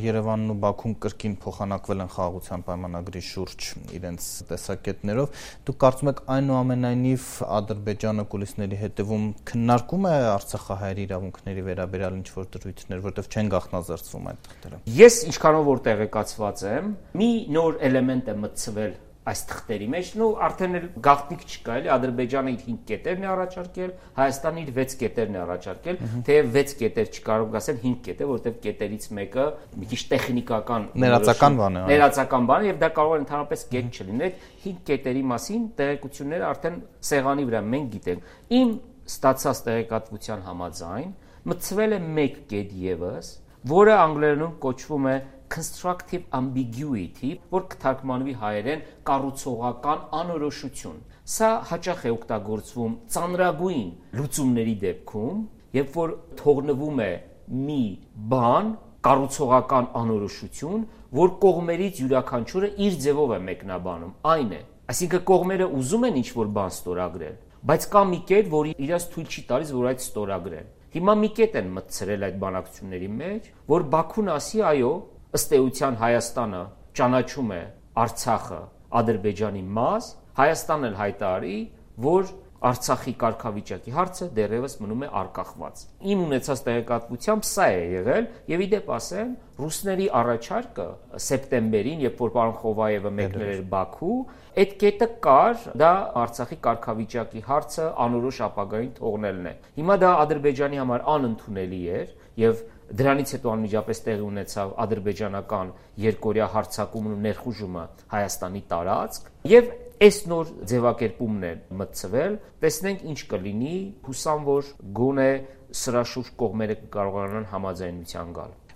Երևանն ու Բաքուն կրկին փոխանակվել են խաղաղության պայմանագրի շուրջ իրենց տեսակետներով։ Դուք կարծում եք այնուամենայնիվ Ադրբեջանը կուլիսների հետևում քննարկում է արցախահայերի իրավունքների վերաբերյալ ինչ-որ դրույթներ, որտեղ չեն գաղտնազերծվում այդ թղթերը։ Ես ինչքանով որ տեղեկացված եմ, մի նոր էլեմենտ է մտցվել այս թղթերի մեջ, արդեն էլ գաղտնիք չկա, էլի Ադրբեջանը իր 5 կետերն է առաջարկել, Հայաստանը իր 6 կետերն է առաջարկել, թեև 6 կետեր չկարող ասել 5 կետեր, որտեղ կետերից մեկը մի քիչ տեխնիկական ներածական բան է, ներածական բան է, եւ դա կարող է ընդհանրապես կետ չլինել։ 5 կետերի մասին տեղեկությունները արդեն սեղանի վրա մենք գիտենք։ Իմ ստացած տեղեկատվության համաձայն մտցվել է 1 կետ եւս, որը անգլերենում կոչվում է constructive ambiguity, որ կթարգմանվի հայերեն կառուցողական անորոշություն։ Սա հաճախ է օգտագործվում ծանրագույն լուծումների դեպքում, երբ որ թողնվում է մի բան, կառուցողական անորոշություն, որ կողմերից յուրաքանչյուրը իր ձևով է մեկնաբանում, այն է։ Այսինքն կողմերը ուզում են ինչ-որ բան ստորագրել, բայց կա մի կետ, որը իրաց թույլ չի տալիս, որ այդ ստորագրեն։ Հիմա մի կետ են մտցրել այդ բանակցությունների մեջ, որ Բաքուն ասի, այո, ըստ էության Հայաստանը ճանաչում է Արցախը Ադրբեջանի մաս, Հայաստանն էլ հայտարարի, որ Արցախի կարգավիճակի հարցը դեռևս մնում է արկախված։ Իմ ունեցած տեղեկատվությամբ սա է եղել, եւ ի դեպ ասեմ, ռուսների առաջարկը սեպտեմբերին, երբ որ պարոն Խովայևը մեկնել էր Բաքու, այդ կետը կար, դա Արցախի կարգավիճակի հարցը անորոշ ապագային թողնելն է։ Հիմա դա Ադրբեջանի համար անընդունելի էր եւ դրանից հետո անմիջապես տեղի ունեցավ ադրբեջանական երկօրյա հարձակումն ու ներխուժումը Հայաստանի տարածք եւ այս նոր ձևակերպումն է մտցվել, տեսնենք ինչ կլինի, հուսամ որ գոնե սրա շուրջ կողմերը կարողանան համաձայնության գալ։